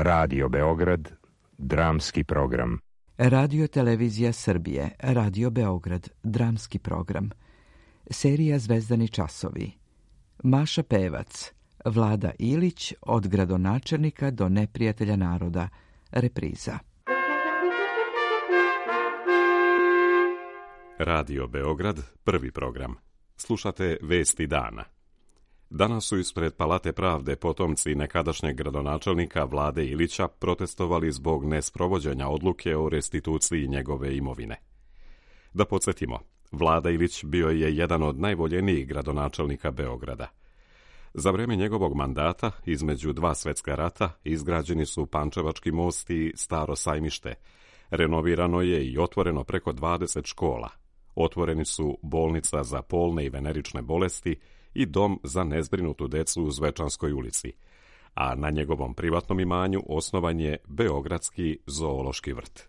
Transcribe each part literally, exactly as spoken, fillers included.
Radio Beograd, dramski program. Radio Televizija Srbije, Radio Beograd, dramski program. Serija Zvezdani časovi. Maša Pevac, Vlada Ilić, od gradonačelnika do neprijatelja naroda, repriza. Radio Beograd, prvi program. Slušate Vesti dana. Danas su ispred Palate pravde potomci nekadašnjeg gradonačelnika Vlade Ilića protestovali zbog nesprovođenja odluke o restituciji njegove imovine. Da podsjetimo, Vlada Ilić bio je jedan od najvoljenijih gradonačelnika Beograda. Za vrijeme njegovog mandata, između dva svjetska rata, izgrađeni su Pančevački most i Staro sajmište. Renovirano je i otvoreno preko dvadeset škola. Otvoreni su bolnica za polne i venerične bolesti i dom za nezbrinutu decu u Zvečanskoj ulici, a na njegovom privatnom imanju osnovan je Beogradski zoološki vrt.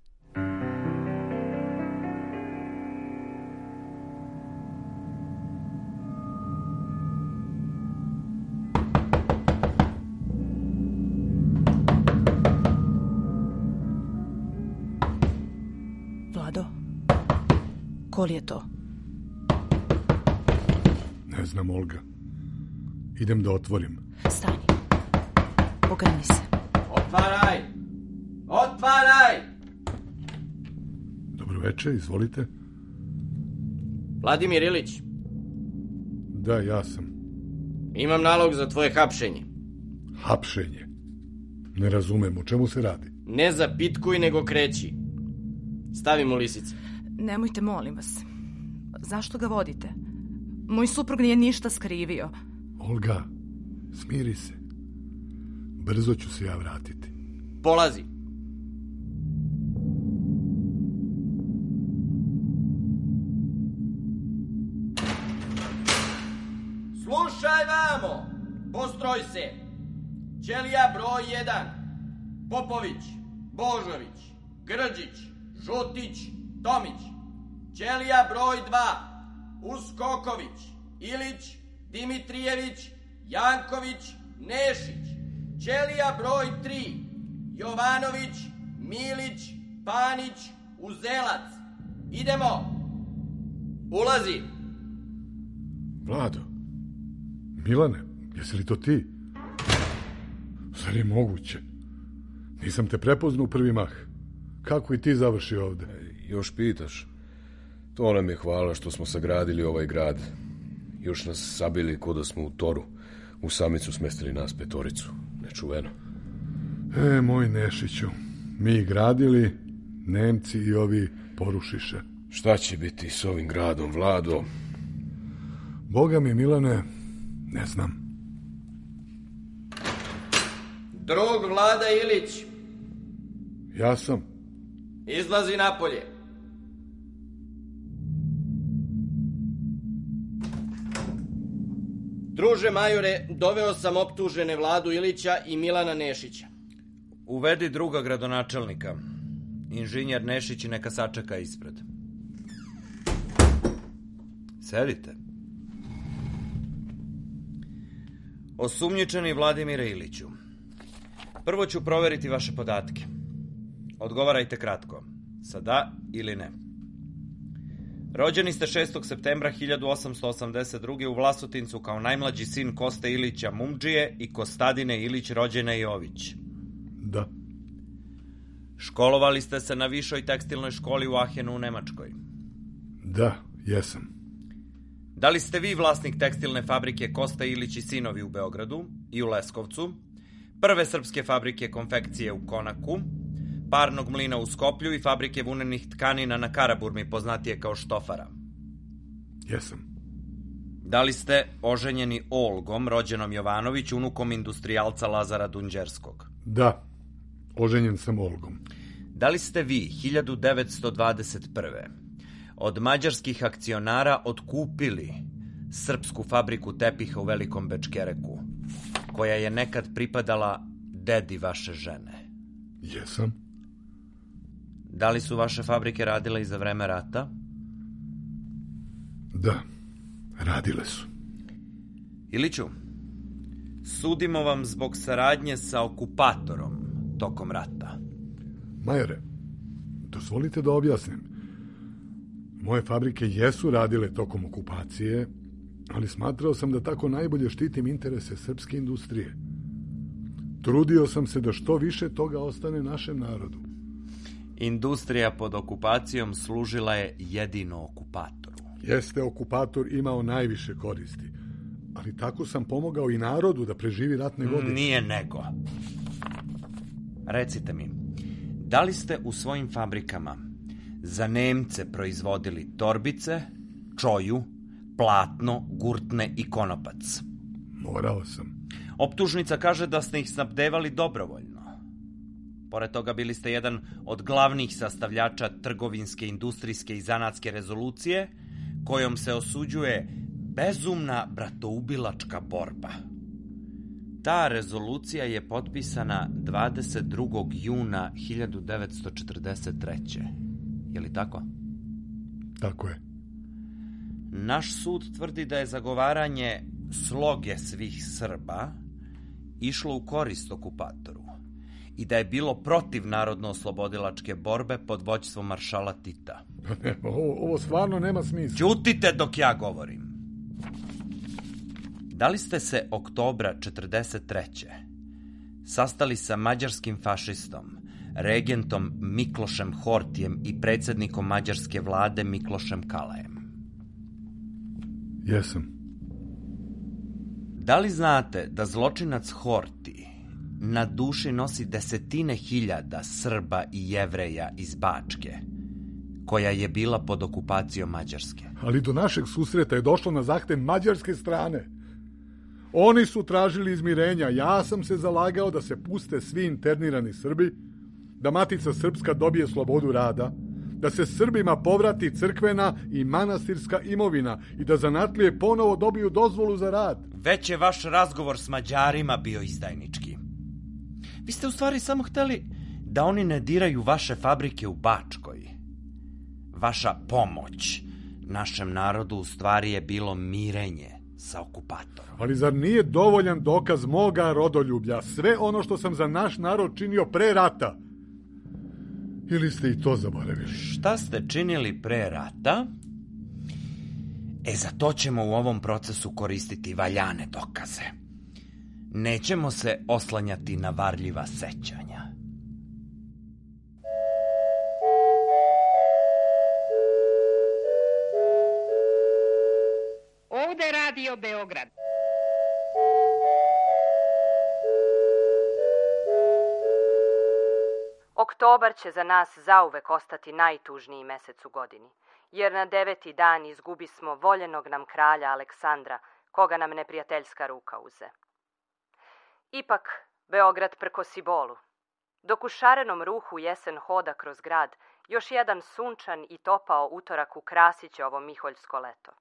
Vlado, koli je to? Ne znam, Olga. Idem da otvorim. Stani. Ogrni se. Otvaraj! Otvaraj! Dobro večer, izvolite. Vladimir Ilić. Da, ja sam. Imam nalog za tvoje hapšenje. Hapšenje? Ne razumem, o čemu se radi? Ne zapitkuj, nego kreći. Stavi mu lisice. Nemojte, molim vas. Zašto ga vodite? Moj suprug nije ništa skrivio. Olga, smiri se. Brzo ću se ja vratiti. Polazi. Slušaj vamo, postroj se. Ćelija broj jedan. Popović, Božović, Grđić, Žutić, Tomić. Ćelija broj dva. Uskoković, Ilić, Dimitrijević, Janković, Nešić. Ćelija broj tri. Jovanović, Milić, Panić, Uzelac. Idemo. Ulazi. Vlado. Milane, jesi li to ti? Zar je moguće? Nisam te prepoznao u prvi mah. Kako i ti završi ovde? Još pitaš. To nam je hvala što smo sagradili ovaj grad. Još nas sabili ko da smo u toru. U samicu smestili nas petoricu. Nečuveno. E, moj Nešiću, mi gradili, Nemci i ovi porušiše. Šta će biti s ovim gradom, Vlado? Boga mi, Milane, ne znam. Drug Vlada Ilić. Ja sam. Izlazi napolje. Druže majore, doveo sam optužene Vladu Ilića i Milana Nešića. Uvedi druga gradonačelnika. Inženjer Nešić neka sačeka ispred. Sedite. Osumnjičeni Vladimire Iliću. Prvo ću proveriti vaše podatke. Odgovarajte kratko. Sa da ili ne. Rođeni ste šestog septembra hiljadu osamsto osamdeset druge. u Vlasotincu kao najmlađi sin Koste Ilića Mumdžije i Kostadine Ilić rođene Jović. Da. Školovali ste se na višoj tekstilnoj školi u Ahenu u Nemačkoj. Da, jesam. Da li ste vi vlasnik tekstilne fabrike Kosta Ilić i sinovi u Beogradu i u Leskovcu, prve srpske fabrike konfekcije u Konaku, parnog mlina u Skoplju i fabrike vunenih tkanina na Karaburmi, poznatije kao Štofara? Jesam. Da li ste oženjeni Olgom, rođenom Jovanović, unukom industrijalca Lazara Dunđerskog? Da, oženjen sam Olgom. Da li ste vi hiljadu devetsto dvadeset prve. od mađarskih akcionara otkupili srpsku fabriku tepiha u Velikom Bečkereku, koja je nekad pripadala dedi vaše žene? Jesam. Da li su vaše fabrike radile i za vreme rata? Da, radile su. Iliću, sudimo vam zbog saradnje sa okupatorom, tokom rata. Majore, dozvolite da objasnim. Moje fabrike jesu radile tokom okupacije, ali smatrao sam da tako najbolje štitim interese srpske industrije. Trudio sam se da što više toga ostane našem narodu. Industrija pod okupacijom služila je jedino okupatoru. Jeste okupator imao najviše koristi, ali tako sam pomogao i narodu da preživi ratne godine. Nije nego. Recite mi, da li ste u svojim fabrikama za Nemce proizvodili torbice, čoju, platno, gurtne i konopac? Morao sam. Optužnica kaže da ste ih snabdevali dobrovoljno. Pored toga bili ste jedan od glavnih sastavljača trgovinske, industrijske i zanatske rezolucije kojom se osuđuje bezumna bratoubilačka borba. Ta rezolucija je potpisana dvadeset drugog juna hiljadu devetsto četrdeset treće. Je li tako? Tako je. Naš sud tvrdi da je zagovaranje sloge svih Srba išlo u korist okupatoru i da je bilo protiv narodno-oslobodilačke borbe pod vođstvom maršala Tita. Ne, ovo, ovo stvarno nema smisla. Ćutite dok ja govorim. Da li ste se oktobra četrdeset treće sastali sa mađarskim fašistom, regentom Miklošem Hortijem i predsjednikom mađarske vlade Miklošem Kalajem? Jesam. Da li znate da zločinac Horti na duši nosi desetine hiljada Srba i Jevreja iz Bačke, koja je bila pod okupacijom Mađarske? Ali do našeg susreta je došlo na zahtev mađarske strane. Oni su tražili izmirenja. Ja sam se zalagao da se puste svi internirani Srbi, da Matica Srpska dobije slobodu rada, da se Srbima povrati crkvena i manastirska imovina i da zanatlije ponovo dobiju dozvolu za rad. Već je vaš razgovor s Mađarima bio izdajnički. Vi ste u stvari samo hteli da oni ne diraju vaše fabrike u Bačkoj. Vaša pomoć našem narodu u stvari je bilo mirenje sa okupatorom. Ali zar nije dovoljan dokaz moga rodoljublja sve ono što sam za naš narod činio pre rata? Ili ste i to zaboravili? Šta ste činili pre rata? E, za to ćemo u ovom procesu koristiti valjane dokaze. Nećemo se oslanjati na varljiva sećanja. Ovde Radio Beograd. Oktobar će za nas zauvek ostati najtužniji mesec u godini, jer na deveti dan izgubismo voljenog nam kralja Aleksandra, koga nam neprijateljska ruka uze. Ipak, Beograd prkosi bolu. Dok u šarenom ruhu jesen hoda kroz grad, još jedan sunčan i topao utorak ukrasit će ovo miholjsko leto.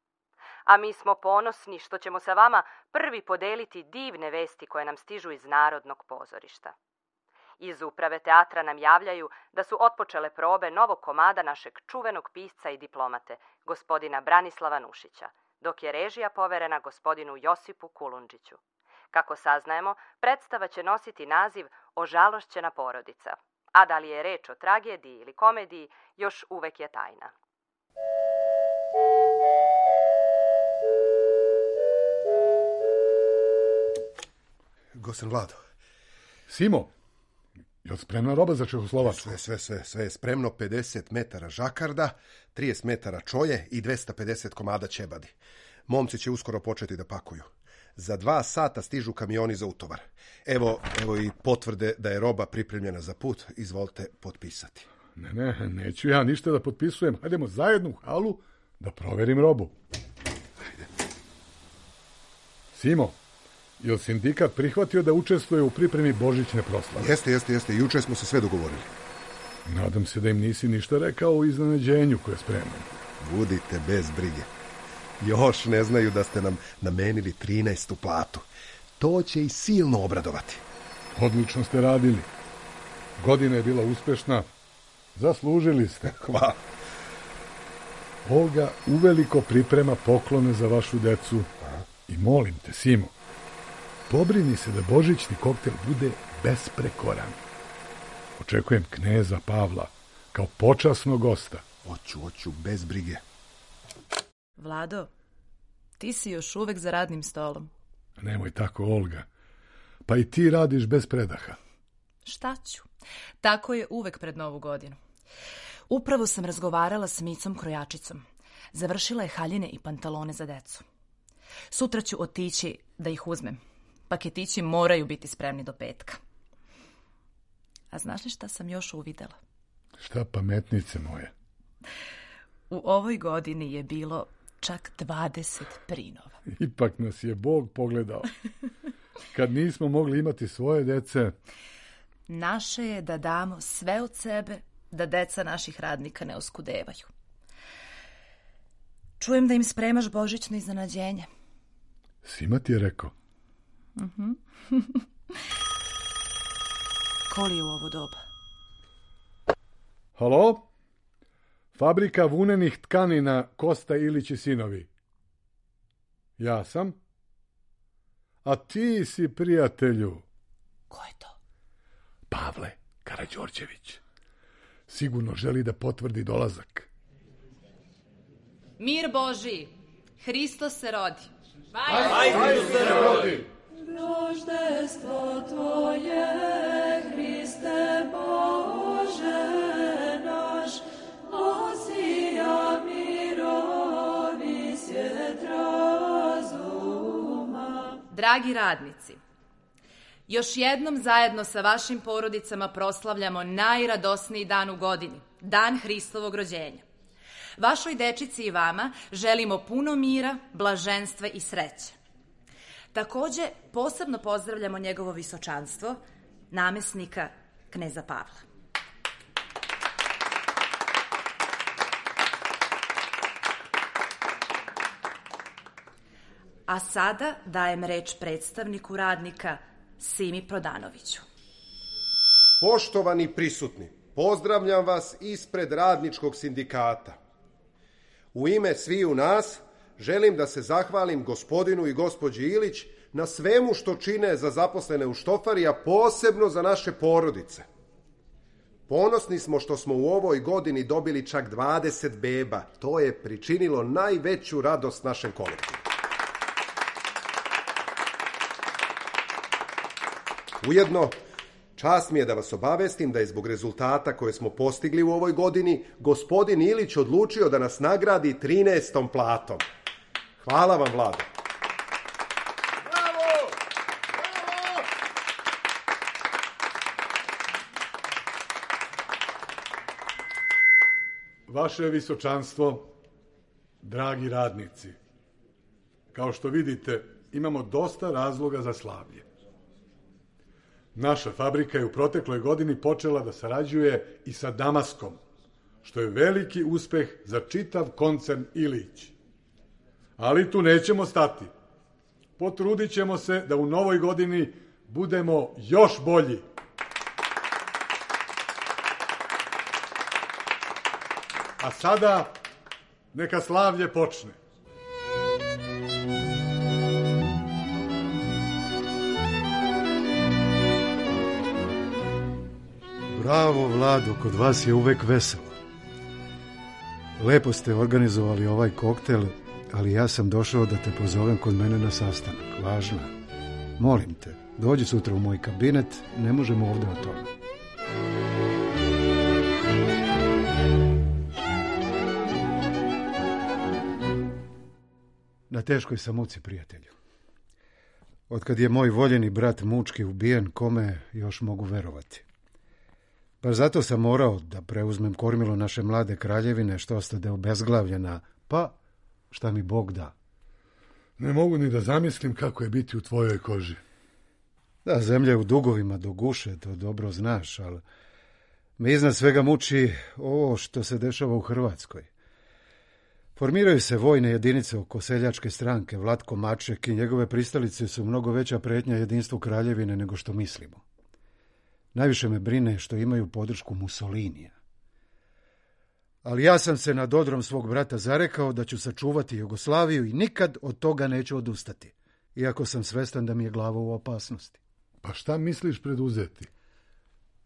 A mi smo ponosni što ćemo sa vama prvi podeliti divne vesti koje nam stižu iz Narodnog pozorišta. Iz uprave teatra nam javljaju da su otpočele probe novog komada našeg čuvenog pisca i diplomate, gospodina Branislava Nušića, dok je režija poverena gospodinu Josipu Kulundžiću. Kako saznajemo, predstava će nositi naziv Ožalošćena porodica, a da li je reč o tragediji ili komediji, još uvek je tajna. Gosen Vlado. Simo, je li spremna roba za Čehoslovačku? Sve, sve, sve, sve je spremno. pedeset metara žakarda, trideset metara čoje i dvesta pedeset komada ćebadi. Momci će uskoro početi da pakuju. Za dva sata stižu kamioni za utovar. Evo, evo i potvrde da je roba pripremljena za put. Izvolite potpisati. Ne, ne, neću ja ništa da potpisujem. Hajdemo zajedno u halu da proverim robu. Hajde. Simo, je li sindikat prihvatio da učestvuje u pripremi božićne proslave? Jeste, jeste, jeste. Juče smo se sve dogovorili. Nadam se da im nisi ništa rekao o iznenađenju koje spremam. Budite bez brige. Još ne znaju da ste nam namenili trinaestu platu. To će i silno obradovati. Odlično ste radili. Godina je bila uspešna. Zaslužili ste. Hvala. Olga uveliko priprema poklone za vašu decu. I molim te, Simo, pobrini se da božićni koktel bude besprekoran. Očekujem kneza Pavla kao počasnog gosta. Oću, oću, bez brige. Vlado, ti si još uvek za radnim stolom. Nemoj tako, Olga. Pa i ti radiš bez predaha. Šta ću? Tako je uvek pred Novu godinu. Upravo sam razgovarala s Micom krojačicom. Završila je haljine i pantalone za decu. Sutra ću otići da ih uzmem. Paketići moraju biti spremni do petka. A znaš li šta sam još uvidela? Šta, pametnice moje? U ovoj godini je bilo čak dvadeset prinova. Ipak nas je Bog pogledao. Kad nismo mogli imati svoje dece... Naše je da damo sve od sebe, da deca naših radnika ne oskudevaju. Čujem da im spremaš božićno iznenađenje. Sima ti je rekao. Uh-huh. Ko li je u ovo doba? Halo? Fabrika vunenih tkanina Kosta Ilić i sinovi. Ja sam. A ti si, prijatelju. Ko je to? Pavle Karađorđević. Sigurno želi da potvrdi dolazak. Mir Božiji, Hristos se rodi. Aj, Hristos se rodi. Roždestvo tvoje, Hriste Bože naš, osija mirovi svjet razuma. Dragi radnici, još jednom zajedno sa vašim porodicama proslavljamo najradosniji dan u godini, dan Hristovog rođenja. Vašoj dečici i vama želimo puno mira, blaženstva i sreće. Takođe, posebno pozdravljamo njegovo visočanstvo, namesnika kneza Pavla. A sada dajem reč predstavniku radnika Simi Prodanoviću. Poštovani prisutni, pozdravljam vas ispred radničkog sindikata. U ime sviju nas želim da se zahvalim gospodinu i gospođi Ilić na svemu što čine za zaposlene u štofari, a posebno za naše porodice. Ponosni smo što smo u ovoj godini dobili čak dvadeset beba. To je pričinilo najveću radost našem kolektivu. Ujedno, čast mi je da vas obavestim da je zbog rezultata koje smo postigli u ovoj godini gospodin Ilić odlučio da nas nagradi trinaestom platom. Hvala vam, Vlado. Bravo! Bravo! Vaše visočanstvo, dragi radnici, kao što vidite, imamo dosta razloga za slavlje. Naša fabrika je u protekloj godini počela da sarađuje i sa Damaskom, što je veliki uspeh za čitav koncern Ilić. Ali tu nećemo stati. Potrudit ćemo se da u novoj godini budemo još bolji. A sada neka slavlje počne. Bravo, Vlado, kod vas je uvek veselo. Lepo ste organizovali ovaj koktel, ali ja sam došao da te pozovem kod mene na sastanak. Važno. Molim te, dođi sutra u moj kabinet, ne možemo ovde o tome. Na teškoj sam muci, prijatelju. Otkad je moj voljeni brat mučki ubijen, kome još mogu verovati? Pa zato sam morao da preuzmem kormilo naše mlade kraljevine, što ostade obezglavljena, pa šta mi Bog da. Ne mogu ni da zamislim kako je biti u tvojoj koži. Da, zemlja je u dugovima do guše, to dobro znaš, ali me iznad svega muči ovo što se dešava u Hrvatskoj. Formiraju se vojne jedinice oko seljačke stranke. Vlatko Maček i njegove pristalice su mnogo veća pretnja jedinstvu kraljevine nego što mislimo. Najviše me brine što imaju podršku Mussolinija. Ali ja sam se nad odrom svog brata zarekao da ću sačuvati Jugoslaviju i nikad od toga neću odustati, iako sam svestan da mi je glava u opasnosti. Pa šta misliš preduzeti?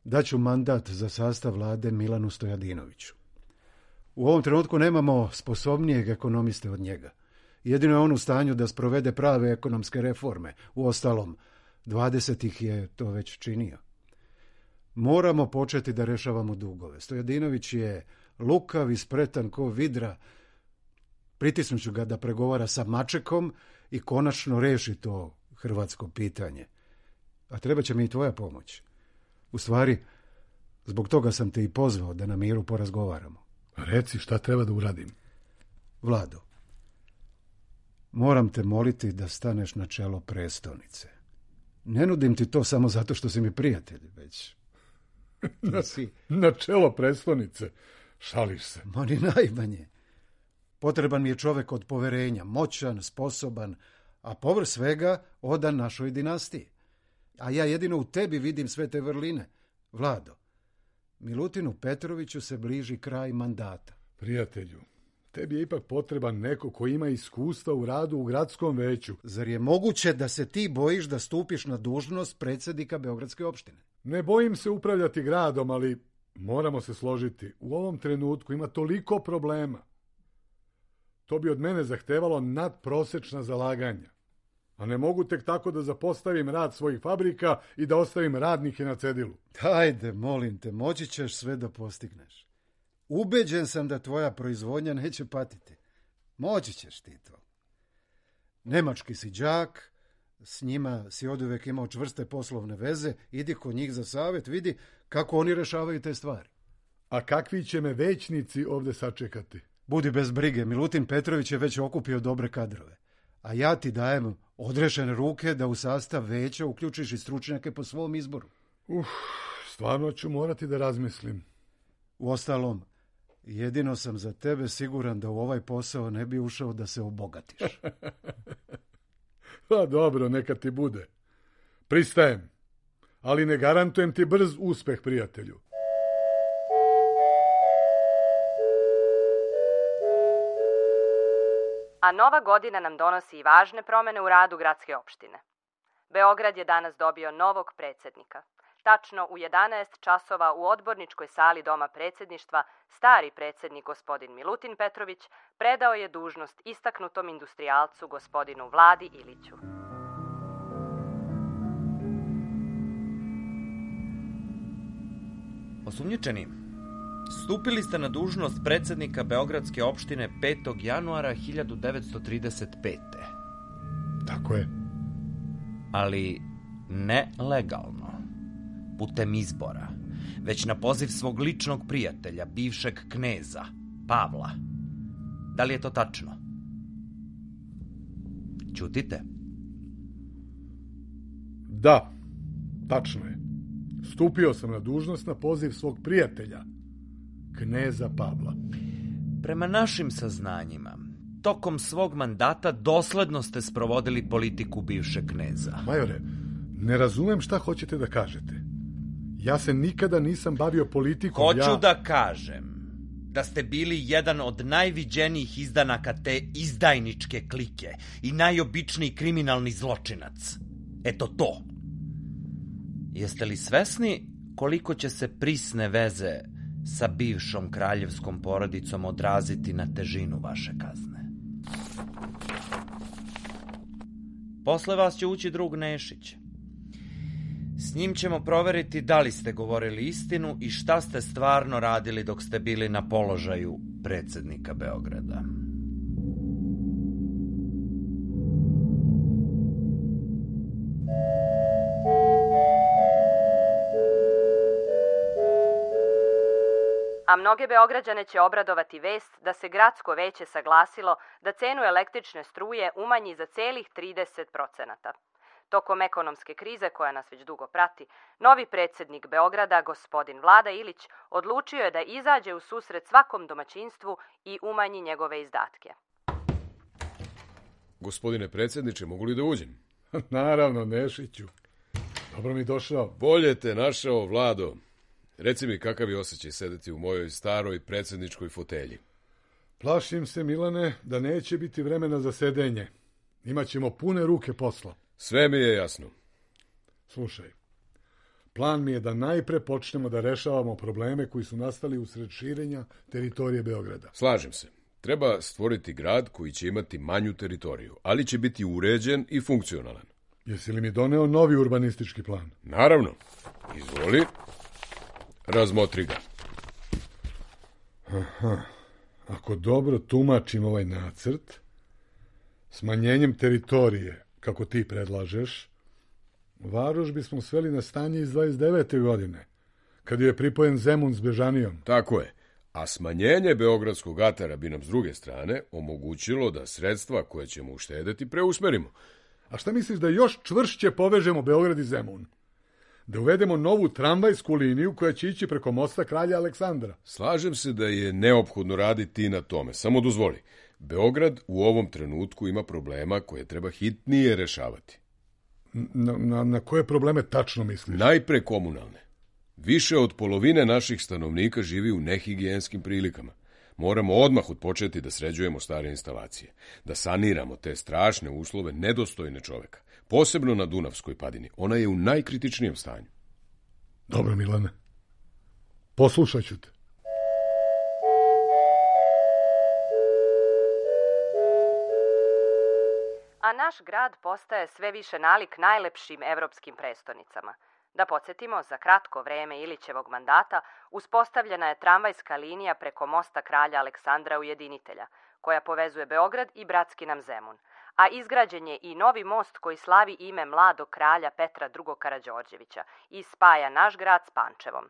daću mandat za sastav vlade Milanu Stojadinoviću. U ovom trenutku nemamo sposobnijeg ekonomiste od njega. Jedino je on u stanju da sprovede prave ekonomske reforme. Uostalom, dvadeset ih je to već činio. Moramo početi da rešavamo dugove. Stojadinović je lukav i spretan ko vidra. Pritisnuću ga da pregovara sa Mačekom i konačno reši to hrvatsko pitanje. A treba će mi i tvoja pomoć. U stvari, zbog toga sam te i pozvao da na miru porazgovaramo. Reci, šta treba da uradim? Vlado, moram te moliti da staneš na čelo prestonice. Ne nudim ti to samo zato što si mi prijatelj, već... na, si... na čelo prestonice? Šališ se. Ma ni najmanje. Potreban mi je čovek od poverenja, moćan, sposoban, a povrh svega odan našoj dinastiji. A ja jedino u tebi vidim sve te vrline. Vlado, Milutinu Petroviću se bliži kraj mandata. Prijatelju, tebi je ipak potreban neko ko ima iskustva u radu u gradskom veću. Zar je moguće da se ti bojiš da stupiš na dužnost predsjednika Beogradske opštine? Ne bojim se upravljati gradom, ali moramo se složiti. U ovom trenutku ima toliko problema. To bi od mene zahtevalo nadprosečna zalaganja. A ne mogu tek tako da zapostavim rad svojih fabrika i da ostavim radnike na cedilu. Ajde, molim te, moći ćeš sve da postigneš. Ubeđen sam da tvoja proizvodnja neće patiti. Moći ćeš ti to. Nemački si đak, s njima si oduvek imao čvrste poslovne veze, idi kod njih za savjet, vidi kako oni rešavaju te stvari. A kakvi će me većnici ovde sačekati? Budi bez brige, Milutin Petrović je već okupio dobre kadrove. A ja ti dajem odrešene ruke da u sastav veća uključiš i stručnjake po svom izboru. Uf, stvarno ću morati da razmislim. Uostalom, jedino sam za tebe siguran da u ovaj posao ne bi ušao da se obogatiš. Pa dobro, neka ti bude. Pristajem, ali ne garantujem ti brz uspeh, prijatelju. A nova godina nam donosi i važne promene u radu gradske opštine. Beograd je danas dobio novog predsjednika. Tačno u jedanaest časova u odborničkoj sali Doma predsjedništva stari predsjednik gospodin Milutin Petrović predao je dužnost istaknutom industrijalcu gospodinu Vladi Iliću. Osumnjičeni, stupili ste na dužnost predsjednika Beogradske opštine petog januara hiljadu devetsto trideset pete. Tako je. Ali ne legalno, putem izbora, već na poziv svog ličnog prijatelja, bivšeg kneza, Pavla. Da li je to tačno? Ćutite? Da, tačno je. Stupio sam na dužnost na poziv svog prijatelja, kneza Pavla. Prema našim saznanjima, tokom svog mandata dosledno ste sprovodili politiku bivšeg kneza. Majore, ne razumem šta hoćete da kažete. Ja se nikada nisam bavio politikom. Hoću ja... da kažem da ste bili jedan od najviđenijih izdanaka te izdajničke klike i najobičniji kriminalni zločinac. Eto to. Jeste li svesni koliko će se prisne veze sa bivšom kraljevskom porodicom odraziti na težinu vaše kazne? Posle vas će ući drug Nešić. S njim ćemo proveriti da li ste govorili istinu i šta ste stvarno radili dok ste bili na položaju predsjednika Beograda. A mnoge Beograđane će obradovati vest da se gradsko veće saglasilo da cenu električne struje umanji za celih trideset procenata. Tokom ekonomske krize koja nas već dugo prati, novi predsjednik Beograda, gospodin Vlada Ilić, odlučio je da izađe u susret svakom domaćinstvu i umanji njegove izdatke. Gospodine predsjedniče, mogu li da uđem? Naravno, Nešiću. Dobro mi došao. Bolje te našao, Vlado. Reci mi kakav je osjećaj sedeti u mojoj staroj predsjedničkoj fotelji. Plašim se, Milane, da neće biti vremena za sedenje. Imaćemo pune ruke posla. Sve mi je jasno. Slušaj, Plan mi je da najpre počnemo da rešavamo probleme koji su nastali usred širenja teritorije Beograda. Slažem se. Treba stvoriti grad koji će imati manju teritoriju, ali će biti uređen i funkcionalan. Jesi li mi doneo novi urbanistički plan? Naravno. Izvoli. Razmotri ga. Aha. Ako dobro tumačim ovaj nacrt, smanjenjem teritorije, kako ti predlažeš, Varoš bismo sveli na stanje iz dvadeset devete. godine, kad je pripojen Zemun s Bežanijom. Tako je. A smanjenje beogradskog atara bi nam s druge strane omogućilo da sredstva koje ćemo uštedeti preusmerimo. A šta misliš da još čvršće povežemo Beograd i Zemun? Da uvedemo novu tramvajsku liniju koja će ići preko mosta Kralja Aleksandra. Slažem se da je neophodno raditi na tome. Samo dozvoli. Beograd u ovom trenutku ima problema koje treba hitnije rešavati. Na, na, na koje probleme tačno misliš? Najpre komunalne. Više od polovine naših stanovnika živi u nehigijenskim prilikama. Moramo odmah odpočeti da sređujemo stare instalacije, da saniramo te strašne uslove nedostojne čoveka, posebno na Dunavskoj padini. Ona je u najkritičnijem stanju. Dobro, Milane. Poslušat ću te. A naš grad postaje sve više nalik najlepšim evropskim prestonicama. Da podsjetimo, za kratko vreme Ilićevog mandata uspostavljena je tramvajska linija preko mosta Kralja Aleksandra Ujedinitelja, koja povezuje Beograd i bratski nam Zemun, a izgrađen je i novi most koji slavi ime mladog kralja Petra drugog Karađorđevića i spaja naš grad s Pančevom.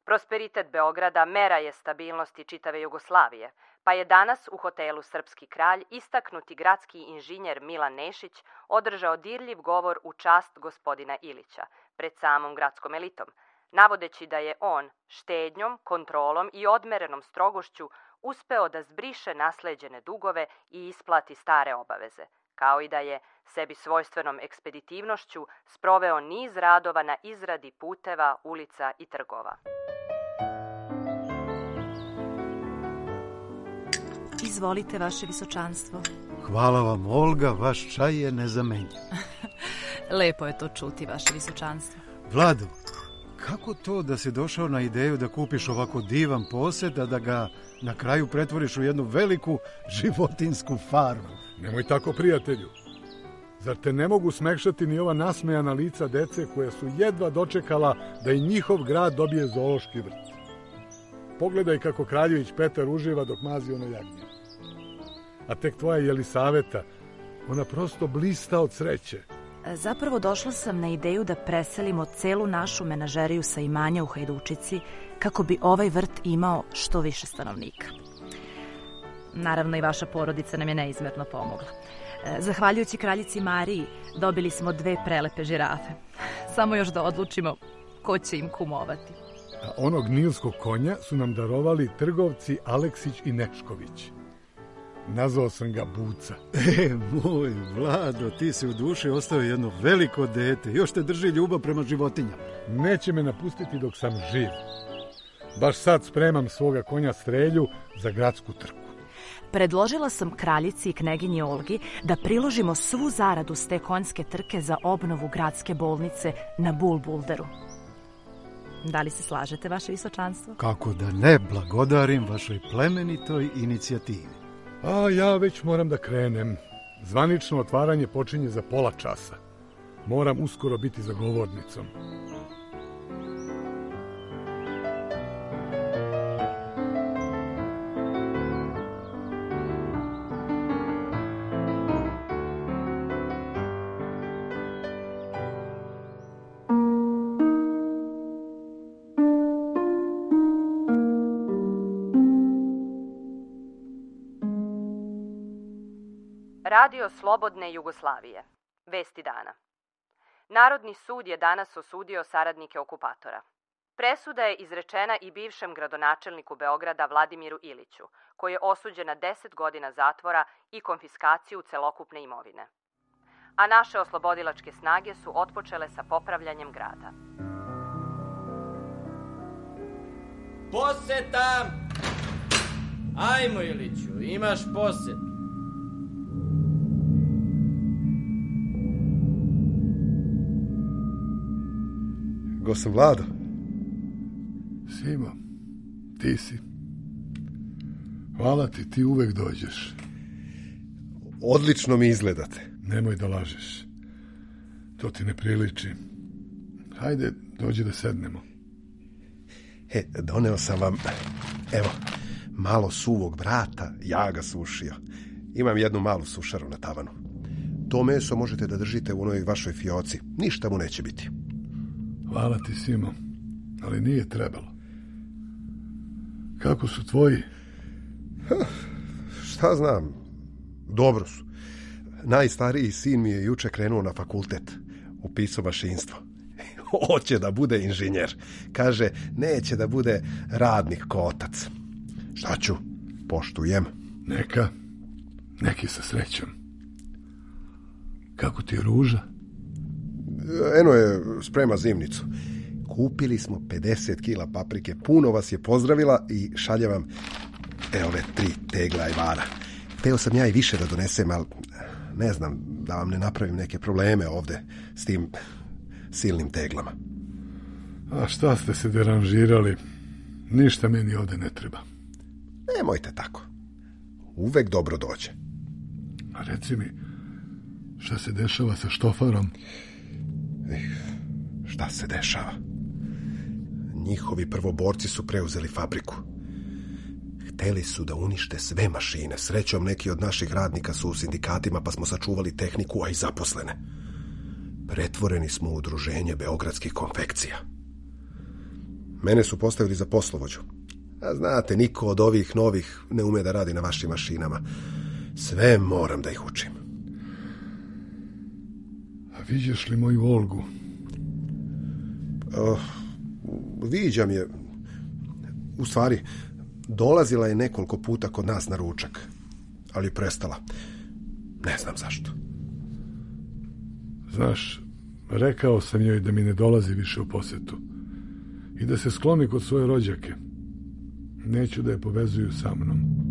Prosperitet Beograda mera je stabilnosti čitave Jugoslavije, pa je danas u hotelu Srpski kralj istaknuti gradski inženjer Milan Nešić održao dirljiv govor u čast gospodina Ilića pred samom gradskom elitom, navodeći da je on štednjom, kontrolom i odmerenom strogošću uspeo da zbriše nasleđene dugove i isplati stare obaveze, kao i da je sebi svojstvenom ekspeditivnošću sproveo niz radova na izradi puteva, ulica i trgova. Izvolite, vaše visočanstvo. Hvala vam, Olga, vaš čaj je nezamenjen. Lepo je to čuti, vaše visočanstvo. Vlado, kako to da si došao na ideju da kupiš ovako divan posed, a da ga na kraju pretvoriš u jednu veliku životinsku farmu? Nemoj tako, prijatelju. Zar te ne mogu smekšati ni ova nasmejana lica dece koja su jedva dočekala da i njihov grad dobije zoološki vrt? Pogledaj kako kraljević Petar uživa dok mazi ono jagnje. A tek tvoja Jelisaveta, ona prosto blista od sreće. Zapravo došla sam na ideju da preselimo celu našu menažeriju sa imanja u Hajdučici kako bi ovaj vrt imao što više stanovnika. Naravno i vaša porodica nam je neizmerno pomogla. Zahvaljujući kraljici Mariji dobili smo dve prelepe žirafe. Samo još da odlučimo ko će im kumovati. A onog nilskog konja su nam darovali trgovci Aleksić i Nečković. Nazvao sam ga Buca. E, moj Vlado, ti si u duši ostao jedno veliko dete. Još te drži ljubav prema životinjama. Neće me napustiti dok sam živ. Baš sad spremam svoga konja Strelju za gradsku trku. Predložila sam kraljici i kneginji Olgi da priložimo svu zaradu s te konjske trke za obnovu gradske bolnice na Bulbulderu. Da li se slažete, vaše visočanstvo? Kako da ne blagodarim vašoj plemenitoj inicijativi. A ja već moram da krenem. Zvanično otvaranje počinje za pola časa. Moram uskoro biti za govornicom. Radio Slobodne Jugoslavije. Vesti dana. Narodni sud je danas osudio saradnike okupatora. Presuda je izrečena i bivšem gradonačelniku Beograda Vladimiru Iliću, koji je osuđen na deset godina zatvora i konfiskaciju celokupne imovine. A naše oslobodilačke snage su otpočele sa popravljanjem grada. Poseta! Ajmo, Iliću, imaš posetu. Stigao sam, Vlado. Simo, ti si. Hvala ti, ti uvek dođeš. Odlično mi izgledate. Nemoj da lažeš. To ti ne priliči. Hajde, dođi da sednemo. E, doneo sam vam, evo, malo suvog brata, ja ga sušio. Imam jednu malu sušaru na tavanu. To meso možete da držite u onoj vašoj fioci. Ništa mu neće biti. Hvala ti, Simo, ali nije trebalo. Kako su tvoji? Ha, šta znam, dobro su. Najstariji sin mi je juče krenuo na fakultet. Upisao mašinstvo. Hoće da bude inženjer. Kaže, neće da bude radnik ko otac. Šta ću? Poštujem. Neka. Neki sa srećom. Kako ti je Ruža? Eno je, sprema zimnicu. Kupili smo pedeset kila paprike. Puno vas je pozdravila i šalje vam evo ove tri tegla ajvara. Teo sam ja i više da donesem, ali ne znam, da vam ne napravim neke probleme ovde s tim silnim teglama. A šta ste se deranžirali? Ništa meni ovde ne treba. Nemojte tako. Uvek dobro dođe. A reci mi, šta se dešava sa štofarom? Šta se dešava? Njihovi prvoborci su preuzeli fabriku. Hteli su da unište sve mašine. Srećom, neki od naših radnika su u sindikatima, pa smo sačuvali tehniku, a i zaposlene. Pretvoreni smo u udruženje beogradskih konfekcija. Mene su postavili za poslovođu. A znate, niko od ovih novih ne ume da radi na vašim mašinama. Sve moram da ih učim. A viđaš li moju Olgu? Uh, viđam je. U stvari, dolazila je nekoliko puta kod nas na ručak, ali je prestala. Ne znam zašto. Znaš, rekao sam joj da mi ne dolazi više u posetu i da se skloni kod svoje rođake. Neću da je povezuju sa mnom.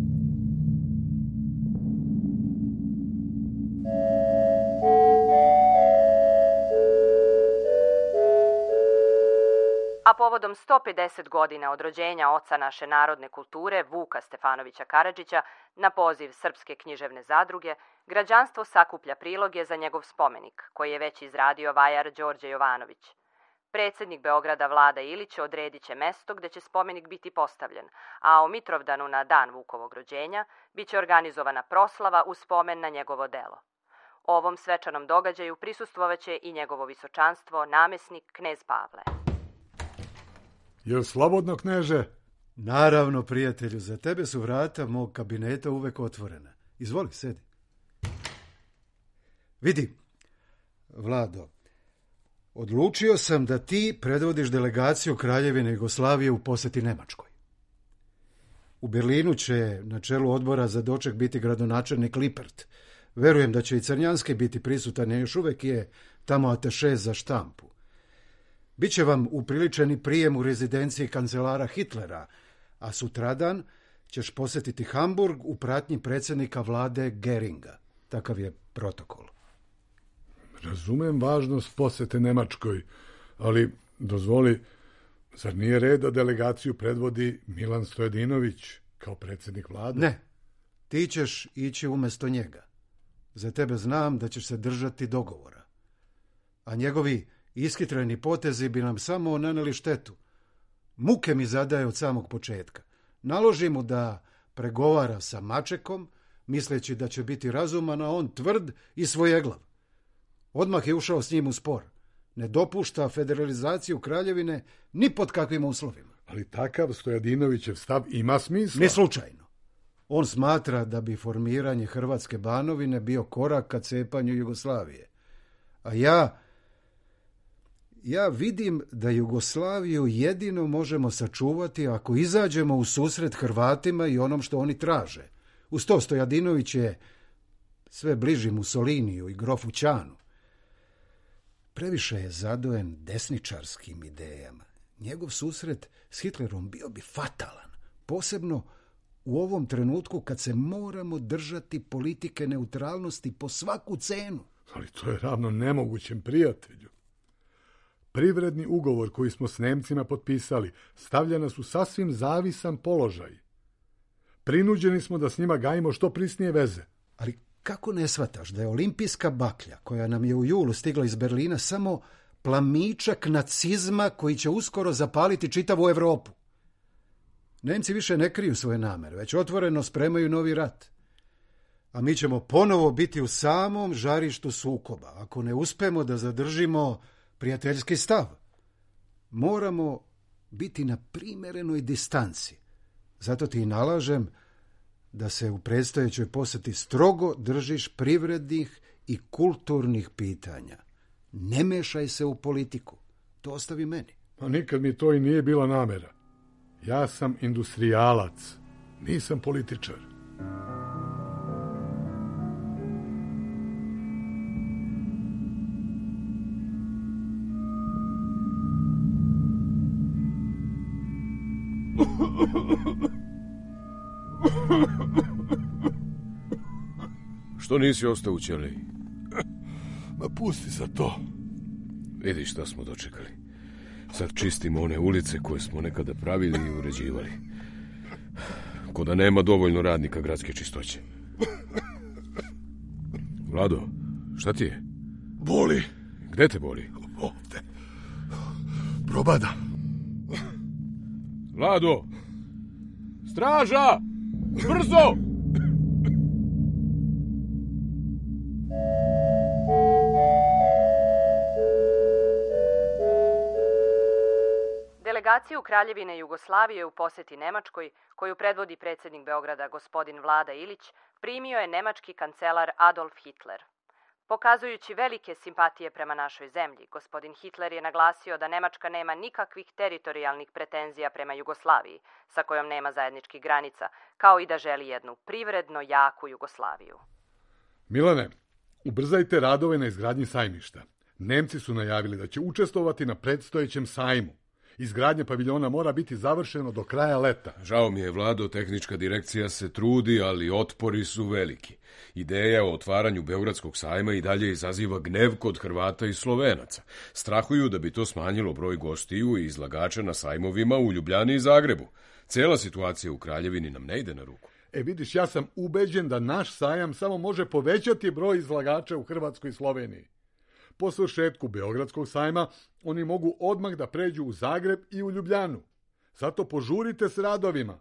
A povodom sto pedeset godina od rođenja oca naše narodne kulture, Vuka Stefanovića Karadžića, na poziv Srpske književne zadruge, građanstvo sakuplja priloge za njegov spomenik, koji je već izradio vajar Đorđe Jovanović. Predsjednik Beograda Vlada Ilić odredit će mesto gde će spomenik biti postavljen, a o Mitrovdanu na dan Vukovog rođenja bit će organizovana proslava u spomen na njegovo delo. Ovom svečanom događaju prisustvovaće i njegovo visočanstvo, namesnik knez Pavle. Jel slobodno, kneže? Naravno, prijatelju, za tebe su vrata mog kabineta uvek otvorena. Izvoli, sedi. Vidi, Vlado, odlučio sam da ti predvodiš delegaciju Kraljevine Jugoslavije u poseti Nemačkoj. U Berlinu će na čelu odbora za doček biti gradonačelnik Lippert. Verujem da će i Crnjanski biti prisutan, jer još uvek je tamo ataše za štampu. Biće vam upriličeni prijem u rezidenciji kancelara Hitlera, a sutradan ćeš posjetiti Hamburg u pratnji predsjednika vlade Geringa. Takav je protokol. Razumem važnost posete Nemačkoj, ali dozvoli, zar nije red da delegaciju predvodi Milan Stojadinović kao predsjednik vlade? Ne, ti ćeš ići umjesto njega. Za tebe znam da ćeš se držati dogovora. A njegovi iskitreni potezi bi nam samo naneli štetu. Muke mi zadaje od samog početka. Naloži mu da pregovara sa Mačekom, misleći da će biti razuman, a on tvrd i svojeglav. Odmah je ušao s njim u spor. Ne dopušta federalizaciju Kraljevine ni pod kakvim uslovima. Ali takav Stojadinovićev stav ima smisla. Ne slučajno. On smatra da bi formiranje Hrvatske Banovine bio korak ka cepanju Jugoslavije. A ja... Ja vidim da Jugoslaviju jedino možemo sačuvati ako izađemo u susret Hrvatima i onom što oni traže. Uz to Stojadinović je sve bliži Mussoliniju i grofu Ćanu. Previše je zadojen desničarskim idejama. Njegov susret s Hitlerom bio bi fatalan, posebno u ovom trenutku kad se moramo držati politike neutralnosti po svaku cenu. Ali to je ravno nemogućem, prijatelju. Privredni ugovor koji smo s Nemcima potpisali stavlja nas u sasvim zavisan položaj. Prinuđeni smo da s njima gajimo što prisnije veze. Ali kako ne shvataš da je olimpijska baklja, koja nam je u julu stigla iz Berlina, samo plamičak nacizma koji će uskoro zapaliti čitavu Evropu? Nemci više ne kriju svoje namere, već otvoreno spremaju novi rat. A mi ćemo ponovo biti u samom žarištu sukoba, ako ne uspemo da zadržimo prijateljski stav. Moramo biti na primjerenoj distanci. Zato ti nalažem da se u predstojećoj posjeti strogo držiš privrednih i kulturnih pitanja. Ne mešaj se u politiku. To ostavi meni. Pa nikad mi to i nije bila namera. Ja sam industrijalac, nisam političar. Što nisi ostao u ćeliji? Ma pusti za to. Vidi šta smo dočekali. Sad čistimo one ulice koje smo nekada pravili i uređivali. Ko da nema dovoljno radnika gradske čistoće. Vlado, šta ti je? Boli. Gde te boli? Ovde. Probada. Vlado! Straža! Brzo! Delegaciju Kraljevine Jugoslavije u posjeti Nemačkoj, koju predvodi predsjednik Beograda gospodin Vlada Ilić, primio je nemački kancelar Adolf Hitler. Pokazujući velike simpatije prema našoj zemlji, gospodin Hitler je naglasio da Nemačka nema nikakvih teritorijalnih pretenzija prema Jugoslaviji, sa kojom nema zajedničkih granica, kao i da želi jednu privredno jaku Jugoslaviju. Milane, ubrzajte radove na izgradnji sajmišta. Nemci su najavili da će učestvovati na predstojećem sajmu. Izgradnja paviljona mora biti završeno do kraja leta. Žao mi je, Vlado, tehnička direkcija se trudi, ali otpori su veliki. Ideja o otvaranju Beogradskog sajma i dalje izaziva gnev kod Hrvata i Slovenaca. Strahuju da bi to smanjilo broj gostiju i izlagača na sajmovima u Ljubljani i Zagrebu. Cela situacija u Kraljevini nam ne ide na ruku. E vidiš, ja sam ubeđen da naš sajam samo može povećati broj izlagača u Hrvatskoj i Sloveniji. Po svršetku Beogradskog sajma oni mogu odmah da pređu u Zagreb i u Ljubljanu. Zato požurite s radovima.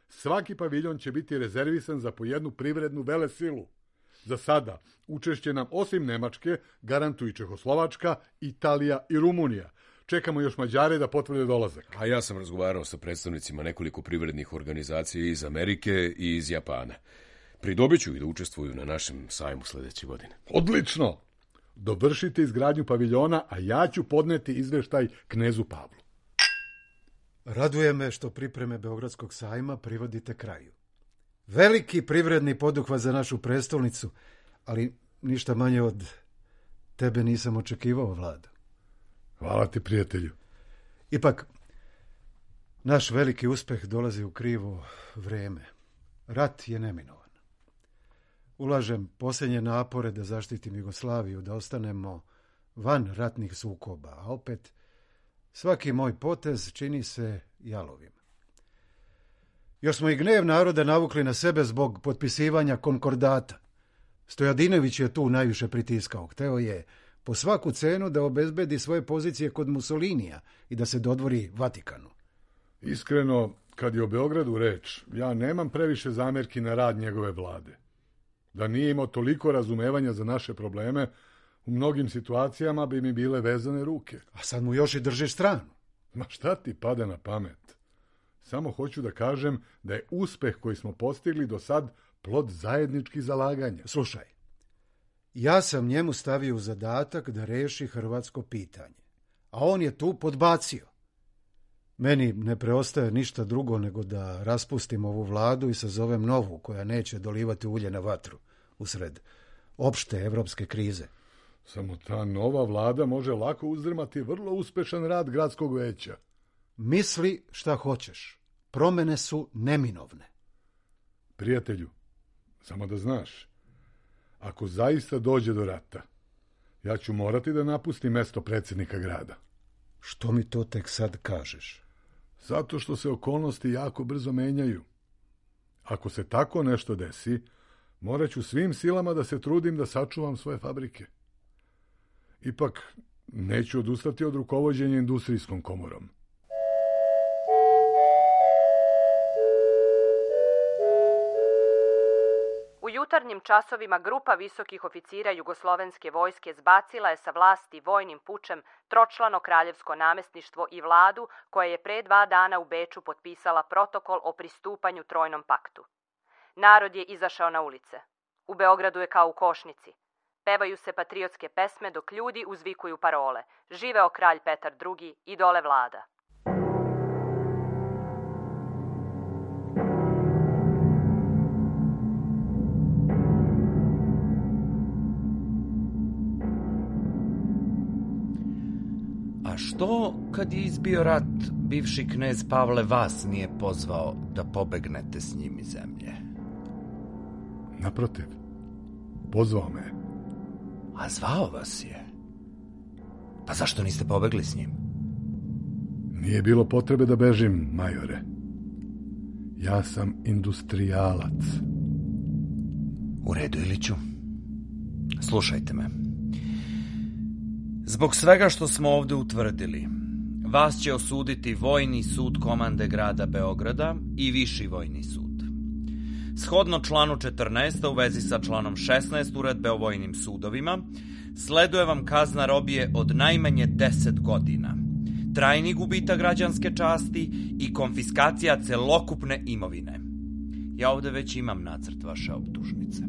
Svaki paviljon će biti rezervisan za po jednu privrednu velesilu. Za sada učešće nam osim Nemačke garantuju Čehoslovačka, Italija i Rumunija. Čekamo još Mađare da potvrde dolazak. A ja sam razgovarao sa predstavnicima nekoliko privrednih organizacija iz Amerike i iz Japana. Pridobit ću i da učestvuju na našem sajmu sljedeće godine. Odlično! Dovršite izgradnju paviljona, a ja ću podneti izveštaj knezu Pavlu. Raduje me što pripreme Beogradskog sajma privodite kraju. Veliki privredni poduhvat za našu prestolnicu, ali ništa manje od tebe nisam očekivao, Vlado. Hvala ti, prijatelju. Ipak, naš veliki uspeh dolazi u krivo vreme. Rat je neminovan. Ulažem posljednje napore da zaštitim Jugoslaviju, da ostanemo van ratnih sukoba, a opet svaki moj potez čini se jalovim. Još smo i gnev naroda navukli na sebe zbog potpisivanja konkordata. Stojadinović je tu najviše pritiskao. Hteo je po svaku cenu da obezbedi svoje pozicije kod Mussolinija i da se dodvori Vatikanu. Iskreno, kad je o Beogradu reč, ja nemam previše zamjerki na rad njegove vlade. Da nije imao toliko razumevanja za naše probleme, u mnogim situacijama bi mi bile vezane ruke. A sad mu još i držiš stranu. Ma šta ti pada na pamet? Samo hoću da kažem da je uspeh koji smo postigli do sad plod zajedničkih zalaganja. Slušaj, ja sam njemu stavio u zadatak da reši hrvatsko pitanje, a on je tu podbacio. Meni ne preostaje ništa drugo nego da raspustim ovu vladu i sazovem novu koja neće dolivati ulje na vatru usred opšte evropske krize. Samo ta nova vlada može lako uzdrmati vrlo uspešan rad gradskog veća. Misli šta hoćeš. Promene su neminovne. Prijatelju, samo da znaš, ako zaista dođe do rata, ja ću morati da napustim mesto predsjednika grada. Što mi to tek sad kažeš? Zato što se okolnosti jako brzo menjaju. Ako se tako nešto desi, morat ću svim silama da se trudim da sačuvam svoje fabrike. Ipak, neću odustati od rukovođenja industrijskom komorom. U jutarnjim časovima grupa visokih oficira jugoslovenske vojske zbacila je sa vlasti vojnim pučem tročlano kraljevsko namestništvo i vladu koja je pre dva dana u Beču potpisala protokol o pristupanju Trojnom paktu. Narod je izašao na ulice. U Beogradu je kao u košnici. Pevaju se patriotske pesme dok ljudi uzvikuju parole. Živeo kralj Petar drugi i dole vlada. A što, kad je izbio rat, bivši knez Pavle vas nije pozvao da pobegnete s njim iz zemlje? Naprotiv, pozvao me. A zvao vas je? Pa zašto niste pobegli s njim? Nije bilo potrebe da bežim, majore. Ja sam industrijalac. U redu, Iliću. Slušajte me. Zbog svega što smo ovde utvrdili, vas će osuditi Vojni sud komande grada Beograda i Viši vojni sud. Shodno članu četrnaest u vezi sa članom šesnaest Uredbe o vojnim sudovima, sleduje vam kazna robije od najmanje deset godina, trajni gubitak građanske časti i konfiskacija celokupne imovine. Ja ovde već imam nacrt vaše optužnice.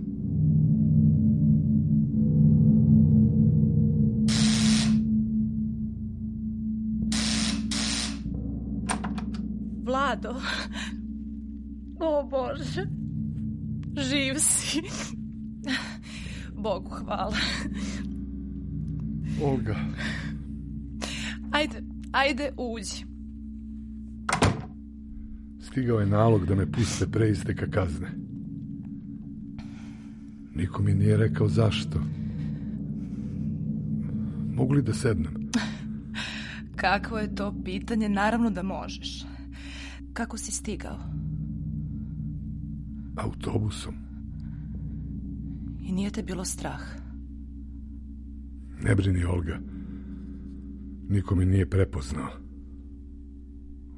Vlado, o Bože, živ si. Bogu hvala. Olga. Ajde, ajde, uđi. Stigao je nalog da me puste pre isteka kazne. Niko mi nije rekao zašto. Mogu li da sednem? Kakvo je to pitanje? Naravno da možeš. Kako si stigao? Autobusom. I nije te bilo strah? Ne brini, Olga. Niko me nije prepoznao.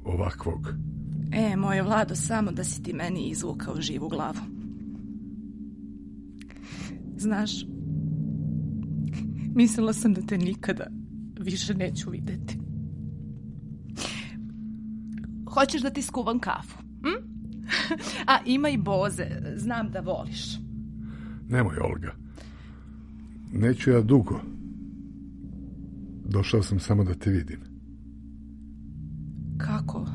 Ovakvog. E, moje Vlado, samo da si ti meni izvukao živu glavu. Znaš, mislila sam da te nikada više neću videti. Hoćeš da ti skuvam kafu? Hm? A ima i boze, znam da voliš. Nemoj, Olga. Neću ja dugo. Došao sam samo da te vidim. Kako?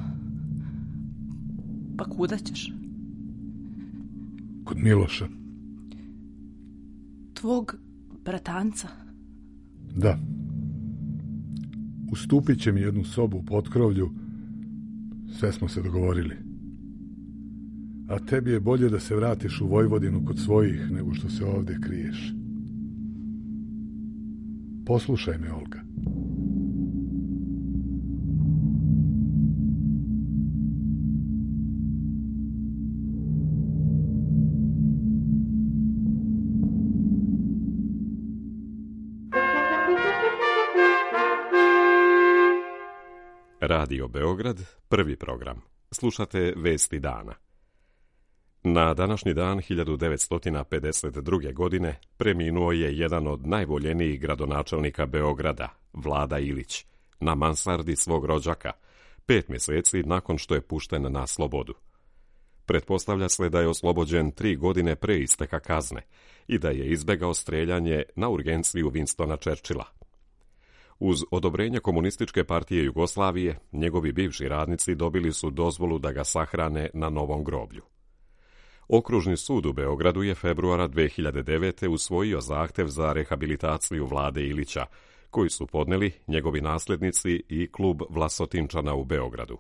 Pa kuda ćeš? Kod Miloša. Tvog bratanca? Da. Ustupit će mi jednu sobu u potkrovlju. Sve smo se dogovorili. A tebi je bolje da se vratiš u Vojvodinu kod svojih nego što se ovdje kriješ. Poslušaj me, Olga. Radio Beograd, prvi program. Slušate Vesti dana. Na današnji dan hiljadu devetsto pedeset druge. godine preminuo je jedan od najvoljenijih gradonačelnika Beograda, Vlada Ilić, na mansardi svog rođaka, pet mjeseci nakon što je pušten na slobodu. Pretpostavlja se da je oslobođen tri godine pre isteka kazne i da je izbegao streljanje na urgenciju Winstona Churchilla. Uz odobrenje Komunističke partije Jugoslavije, njegovi bivši radnici dobili su dozvolu da ga sahrane na novom groblju. Okružni sud u Beogradu je februara dve hiljade devete. usvojio zahtev za rehabilitaciju Vlade Ilića, koji su podneli njegovi nasljednici i klub Vlasotinčana u Beogradu.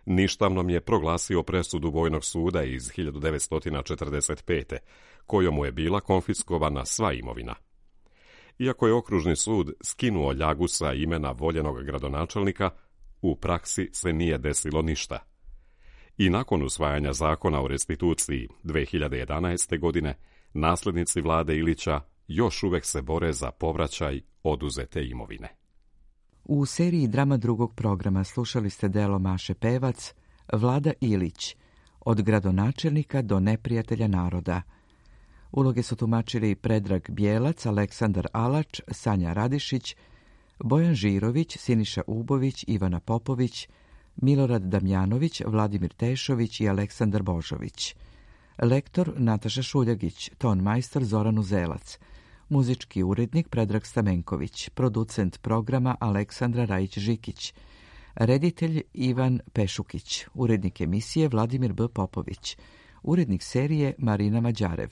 Ništavnom je proglasio presudu Vojnog suda iz hiljadu devetsto četrdeset pete. kojom mu je bila konfiskovana sva imovina. Iako je okružni sud skinuo ljagu sa imena voljenog gradonačelnika, u praksi se nije desilo ništa. I nakon usvajanja zakona o restituciji dve hiljade jedanaeste. godine, nasljednici vlade Ilića još uvek se bore za povraćaj oduzete imovine. U seriji drama drugog programa slušali ste delo Maše Pevac, Vlada Ilić, od gradonačelnika do neprijatelja naroda. Uloge su tumačili Predrag Bijelac, Aleksandar Alač, Sanja Radišić, Bojan Žirović, Siniša Ubović, Ivana Popović, Milorad Damjanović, Vladimir Tešović i Aleksandar Božović. Lektor Nataša Šuljagić, ton majstor Zoran Uzelac, muzički urednik Predrag Stamenković, producent programa Aleksandra Rajić-Žikić, reditelj Ivan Pešukić, urednik emisije Vladimir B. Popović, urednik serije Marina Mađarev,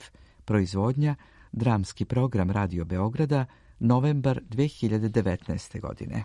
proizvodnja Dramski program Radio Beograda, novembar dve hiljade devetnaeste. godine.